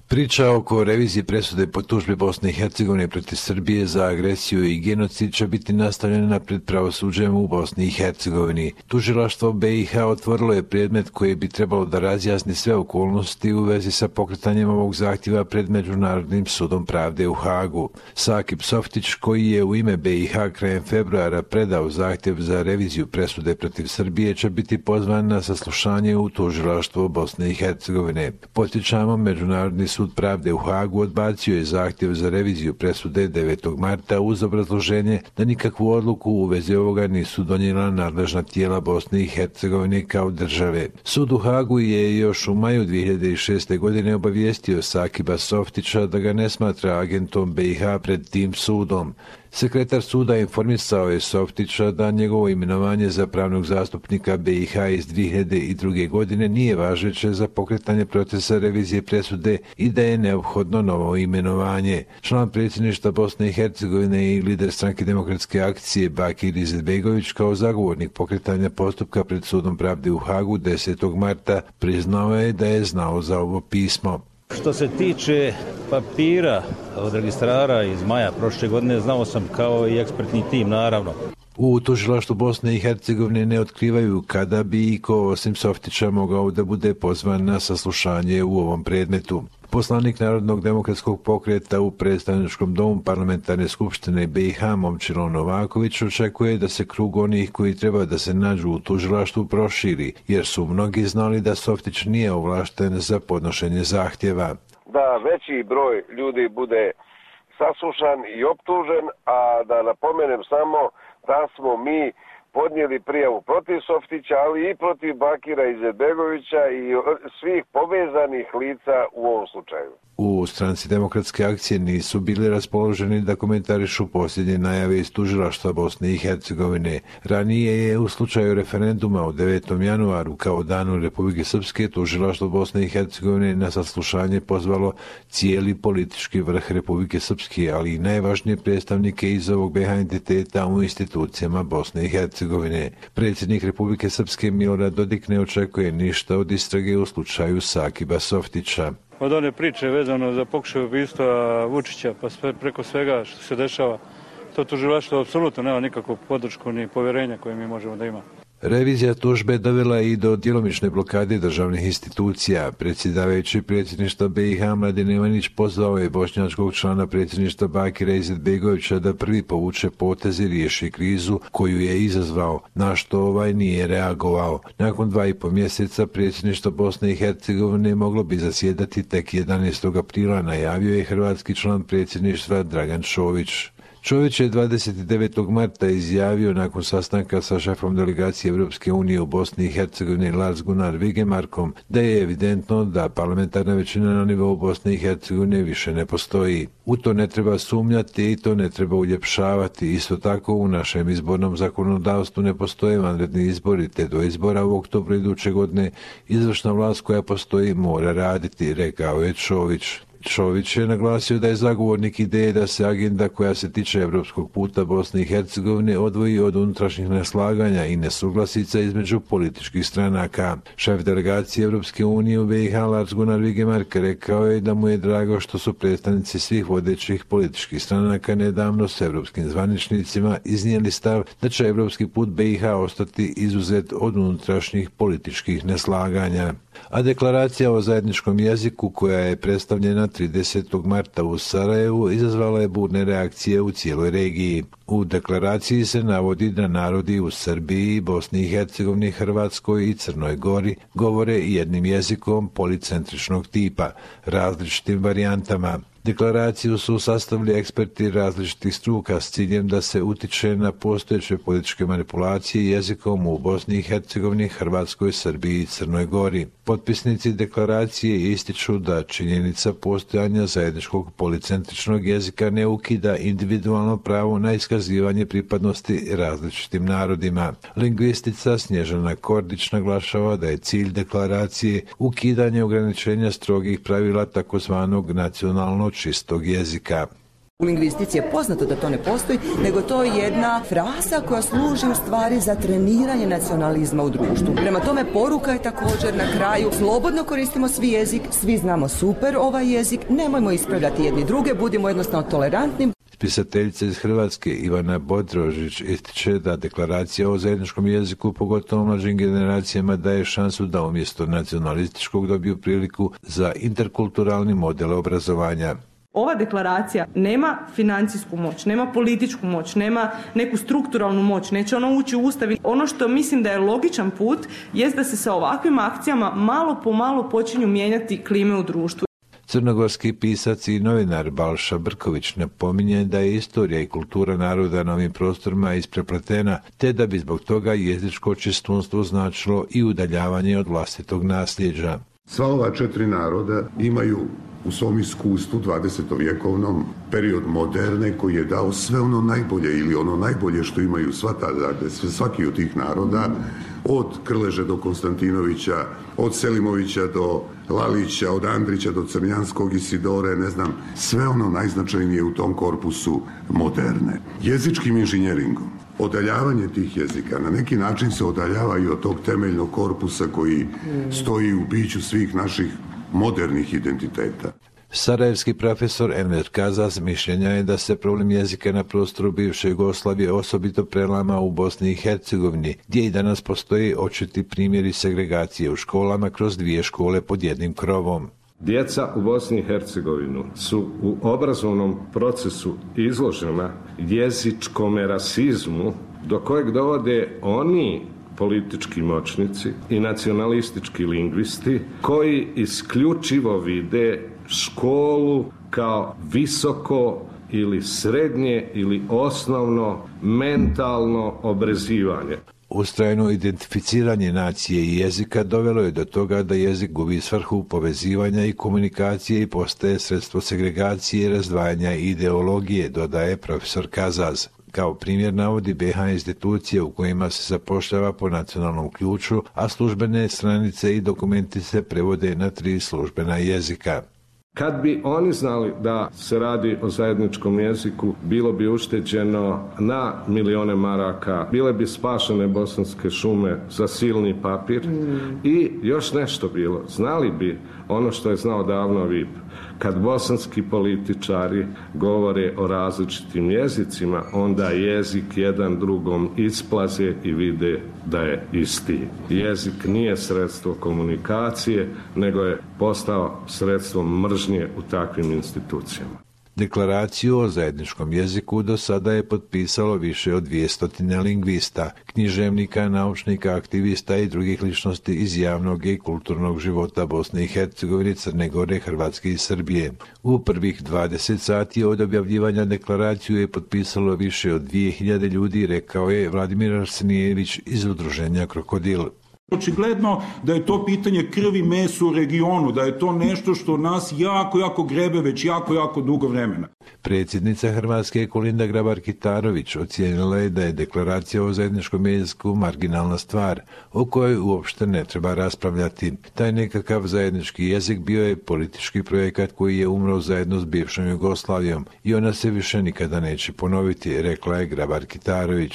Priča oko revizije presude po tužbi Bosne i Hercegovine protiv Srbije za agresiju i genocid će biti nastavljena pred pravosuđem u Bosni i Hercegovini. Tužilaštvo BiH otvorilo je predmet koji bi trebalo da razjasni sve okolnosti u vezi sa pokretanjem ovog zahtjeva pred Međunarodnim sudom pravde u Hagu. Sakip Softić, koji je u ime BiH krajem februara predao zahtjev za reviziju presude protiv Srbije, će biti pozvan na saslušanje u tužilaštvo Bosne i Hercegovine. Podsjećamo, Međunarodni sud pravde u Hagu odbacio je zahtjev za reviziju presude 9. marta uz obrazloženje da nikakvu odluku u vezi ovoga nisu donijela nadležna tijela Bosne i Hercegovine kao države. Sud u Hagu je još u maju 2006. godine obavijestio Sakiba Softića da ga ne smatra agentom BiH pred tim sudom. Sekretar suda informisao je Softića da njegovo imenovanje za pravnog zastupnika BiH iz 2002. godine nije važeće za pokretanje procesa revizije presude i da je neophodno novo imenovanje. Član predsjedništva Bosne i Hercegovine i lider Stranke demokratske akcije Bakir Izetbegović kao zagovornik pokretanja postupka pred sudom pravde u Hagu 10. marta priznao je da je znao za ovo pismo. Što se tiče papira od registrara iz maja prošle godine, znao sam kao i ekspertni tim, naravno. U tužilaštvu Bosne i Hercegovine ne otkrivaju kada bi iko osim Softića mogao da bude pozvan na saslušanje u ovom predmetu. Poslanik Narodnog demokratskog pokreta u predstavničkom domu parlamentarne skupštine BiH Momčilo Novaković očekuje da se krug onih koji treba da se nađu u tužilaštvu proširi, jer su mnogi znali da Softić nije ovlašten za podnošenje zahtjeva. Da veći broj ljudi bude saslušan i optužen, a da napomenem samo da smo mi podnijeli prijavu protiv Softića, ali i protiv Bakira Izetbegovića i svih povezanih lica u ovom slučaju. U Stranci demokratske akcije nisu bili raspoloženi da komentarišu posljednje najave iz tužilaštva Bosne i Hercegovine. Ranije je u slučaju referenduma u 9. januaru kao danu Republike Srpske tužilaštvo Bosne i Hercegovine na saslušanje pozvalo cijeli politički vrh Republike Srpske, ali i najvažnije predstavnike iz ovog BiH entiteta u institucijama Bosne i Hercegovine. Predsjednik Republike Srpske Milorad Dodik ne očekuje ništa od istrage u slučaju Sakiba Softića. Od one priče vezano za pokušaj ubistva Vučića pa sve preko svega što se dešava, to tužilaštvo apsolutno nema nikakvu podršku ni povjerenja koje mi možemo da imamo. Revizija tužbe dovela i do djelomične blokade državnih institucija. Predsjedavajući predsjedništva BiH Mladen Ivanić pozvao je bošnjačkog člana predsjedništva Bakira Izetbegovića da prvi povuče potez i riješi krizu koju je izazvao, na što ovaj nije reagovao. Nakon 2,5 mjeseca predsjedništva Bosne i Hercegovine moglo bi zasjedati tek 11. aprila, najavio je hrvatski član predsjedništva Dragan Čović. Čović je 29. marta izjavio nakon sastanka sa šefom delegacije Europske unije u Bosni i Hercegovini Lars Gunnar Vigemarkom da je evidentno da parlamentarna većina na nivou Bosne i Hercegovine više ne postoji. U to ne treba sumnjati i to ne treba uljepšavati. Isto tako u našem izbornom zakonodavstvu ne postoje vanredni izbori, te do izbora u oktobru iduće godine izvršna vlast koja postoji mora raditi, rekao je Čović. Čović je naglasio da je zagovornik ideje da se agenda koja se tiče evropskog puta Bosne i Hercegovine odvoji od unutrašnjih neslaganja i nesuglasica između političkih stranaka. Šef delegacije Europske unije u BiH Lars Gunnar Vigemark rekao je da mu je drago što su predstavnici svih vodećih političkih stranaka nedavno s europskim zvaničnicima iznijeli stav da će evropski put BiH ostati izuzet od unutrašnjih političkih neslaganja. A deklaracija o zajedničkom jeziku koja je predstavljena 30. marta u Sarajevu izazvala je burne reakcije u cijeloj regiji. U deklaraciji se navodi da narodi u Srbiji, Bosni i Hercegovini, Hrvatskoj i Crnoj Gori govore jednim jezikom policentričnog tipa, različitim varijantama. Deklaraciju su sastavili eksperti različitih struka s ciljem da se utiče na postojeće političke manipulacije jezikom u Bosni i Hercegovini, Hrvatskoj, Srbiji i Crnoj Gori. Potpisnici deklaracije ističu da činjenica postojanja zajedničkog policentričnog jezika ne ukida individualno pravo na iskazivanje pripadnosti različitim narodima. Lingvistica Snježana Kordić naglašava da je cilj deklaracije ukidanje ograničenja strogih pravila takozvanog nacionalno čistog jezika. U lingvistici je poznato da to ne postoji, nego to je jedna fraza koja služi u stvari za treniranje nacionalizma u društvu. Prema tome, poruka je također na kraju, slobodno koristimo svi jezik, svi znamo super ovaj jezik, nemojmo ispravljati jedni druge, budimo jednostavno tolerantni. Pisateljica iz Hrvatske Ivana Bodrožić ističe da deklaracija o zajedničkom jeziku, pogotovo mlađim generacijama, daje šansu da umjesto nacionalističkog dobiju priliku za interkulturalni model obrazovanja. Ova deklaracija nema financijsku moć, nema političku moć, nema neku strukturalnu moć, neće ona ući u Ustav. Ono što mislim da je logičan put jest da se sa ovakvim akcijama malo po malo počinju mijenjati klime u društvu. Crnogorski pisac i novinar Balša Brković napominje da je istorija i kultura naroda na ovim prostorima isprepletena, te da bi zbog toga jezičko čistunstvo značilo i udaljavanje od vlastitog nasljeđa. Sva ova 4 naroda imaju u svom iskustvu 20-vjekovnom period moderne koji je dao sve ono najbolje ili ono najbolje što imaju svaki od tih naroda, od Krleže do Konstantinovića, od Selimovića do Lalića, od Andrića do Crnjanskog, Isidore, ne znam, sve ono najznačajnije u tom korpusu moderne. Jezičkim inženjeringom, odaljavanje tih jezika na neki način se odaljava i od tog temeljnog korpusa koji stoji u biću svih naših modernih identiteta. Sarajevski profesor Enver Kazas mišljenja je da se problem jezika na prostoru bivše Jugoslavije osobito prelama u Bosni i Hercegovini, gdje i danas postoji očiti primjeri segregacije u školama kroz 2 škole pod jednim krovom. Djeca u Bosni i Hercegovini su u obrazovnom procesu izložena jezičkom rasizmu do kojeg dovode oni politički moćnici i nacionalistički lingvisti koji isključivo vide školu kao visoko ili srednje ili osnovno mentalno obrazivanje. Ustrajno identificiranje nacije i jezika dovelo je do toga da jezik gubi svrhu povezivanja i komunikacije i postaje sredstvo segregacije i razdvajanja ideologije, dodaje profesor Kazaz. Kao primjer navodi BiH institucije u kojima se zapošljava po nacionalnom ključu, a službene stranice i dokumenti se prevode na 3 službena jezika. Kad bi oni znali da se radi o zajedničkom jeziku, bilo bi ušteđeno na milijone maraka, bile bi spašene bosanske šume za silni papir i još nešto bilo. Znali bi ono što je znao davno VIP. Kad bosanski političari govore o različitim jezicima, onda jezik jedan drugom isplaze i vide da je isti. Jezik nije sredstvo komunikacije, nego je postao sredstvo mržnje u takvim institucijama. Deklaraciju o zajedničkom jeziku do sada je potpisalo više od 200 lingvista, književnika, naučnika, aktivista i drugih ličnosti iz javnog i kulturnog života Bosne i Hercegovine, Crne Gore, Hrvatske i Srbije. U prvih 20 sati od objavljivanja deklaraciju je potpisalo više od 2000 ljudi, rekao je Vladimir Arsenijević iz udruženja Krokodil. Očigledno da je to pitanje krvi mesa u regionu, da je to nešto što nas jako grebe već jako dugo vremena. Predsjednica Hrvatske Kolinda Grabar-Kitarović ocijenila je da je deklaracija o zajedničkom jeziku marginalna stvar, o kojoj uopšte ne treba raspravljati. Taj nekakav zajednički jezik bio je politički projekat koji je umro zajedno s bivšom Jugoslavijom i ona se više nikada neće ponoviti, rekla je Grabar-Kitarović.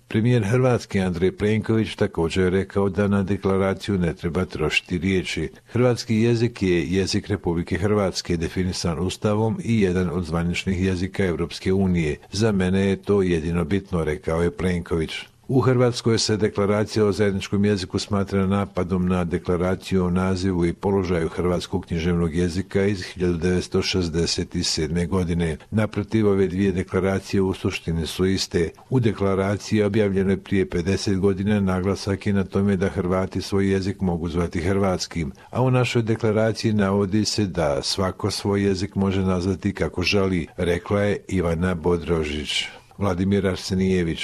Premijer Hrvatske Andrej Plenković također je rekao da na deklaraciju ne treba trošiti riječi. Hrvatski jezik je jezik Republike Hrvatske, definisan Ustavom i jedan od zvaničnih jezika Europske unije. Za mene je to jedino bitno, rekao je Plenković. U Hrvatskoj se deklaracija o zajedničkom jeziku smatra napadom na deklaraciju o nazivu i položaju hrvatskog književnog jezika iz 1967. godine. Naprotiv, ove 2 deklaracije u suštini su iste. U deklaraciji objavljenoj prije 50 godina naglasak je na tome da Hrvati svoj jezik mogu zvati hrvatskim, a u našoj deklaraciji navodi se da svako svoj jezik može nazvati kako želi, rekla je Ivana Bodrožić. Vladimir Arsenijević.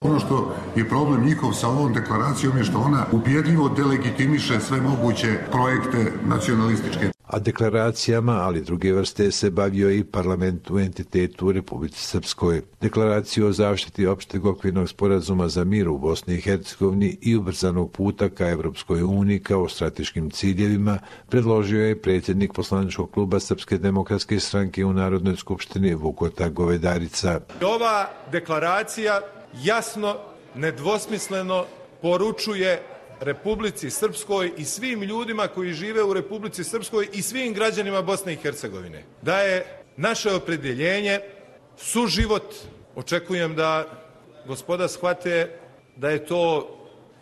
Ono što je problem njihov sa ovom deklaracijom je što ona ubjedljivo delegitimiše sve moguće projekte nacionalističke. a deklaracijama, ali druge vrste, se bavio i parlament u entitetu u Republici Srpskoj. Deklaraciju o zaštiti opšteg okvirnog sporazuma za mir u Bosni i Hercegovini i ubrzanog puta ka Evropskoj uniji kao strateškim ciljevima predložio je predsjednik poslaničkog kluba Srpske demokratske stranke u Narodnoj skupštini Vukota Govedarica. Ova deklaracija jasno, nedvosmisleno poručuje Republici Srpskoj i svim ljudima koji žive u Republici Srpskoj i svim građanima Bosne i Hercegovine da je naše opredjeljenje suživot. Očekujem da gospoda shvate da je to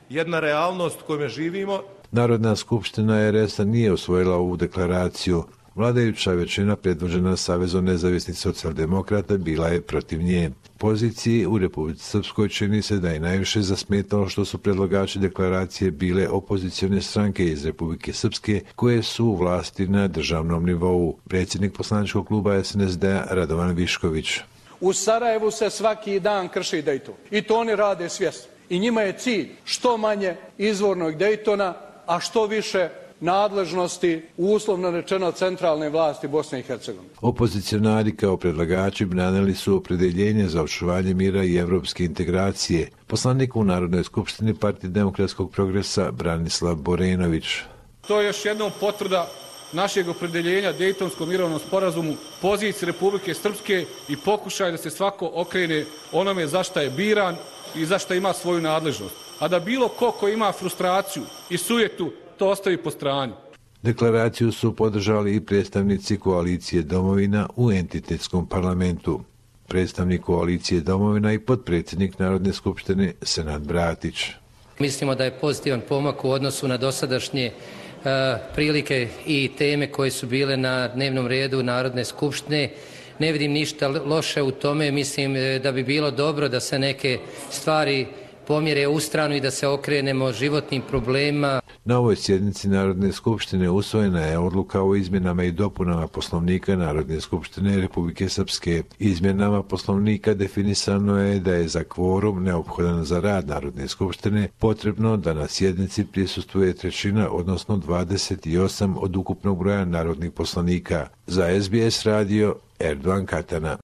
jedna realnost u kojoj živimo. Narodna skupština RS-a nije usvojila ovu deklaraciju. Vladajuća većina predvođena Savezom nezavisnih socijaldemokrata bila je protiv nje. Poziciji u Republici Srpskoj čini se da je najviše zasmetalo što su predlagači deklaracije bile opozicione stranke iz Republike Srpske koje su u vlasti na državnom nivou. Predsjednik poslaničkog kluba SNSD-a Radovan Višković. U Sarajevu se svaki dan krši Dejton i to oni rade svjesno. I njima je cilj što manje izvornog Dejtona, a što više nadležnosti, uslovno rečeno, centralne vlasti Bosne i Hercegovine. Opozicionari kao predlagači branili su opredeljenje za očuvanje mira i evropske integracije. Poslanik u Narodnoj skupštini Partije demokratskog progresa Branislav Borenović. To je još jednom potvrda našeg opredeljenja Dejtonskom mirovnom sporazumu, poziciji Republike Srpske i pokušaj da se svako okrene onome za šta je biran i za šta ima svoju nadležnost. A da bilo ko ima frustraciju i sujetu to ostavi po strani. Deklaraciju su podržali i predstavnici koalicije Domovina u entitetskom parlamentu. Predstavnik koalicije Domovina i potpredsjednik Narodne skupštine Senad Bratić. Mislimo da je pozitivan pomak u odnosu na dosadašnje prilike i teme koje su bile na dnevnom redu Narodne skupštine. Ne vidim ništa loše u tome, mislim da bi bilo dobro da se neke stvari pomjere u stranu i da se okrenemo životnim problemima. Na ovoj sjednici Narodne skupštine usvojena je odluka o izmjenama i dopunama Poslovnika Narodne skupštine Republike Srpske. Izmjenama Poslovnika definisano je da je za kvorum neophodan za rad Narodne skupštine potrebno da na sjednici prisustvuje trećina, odnosno 28 od ukupnog broja narodnih poslanika. Za SBS radio Erdogan Katana.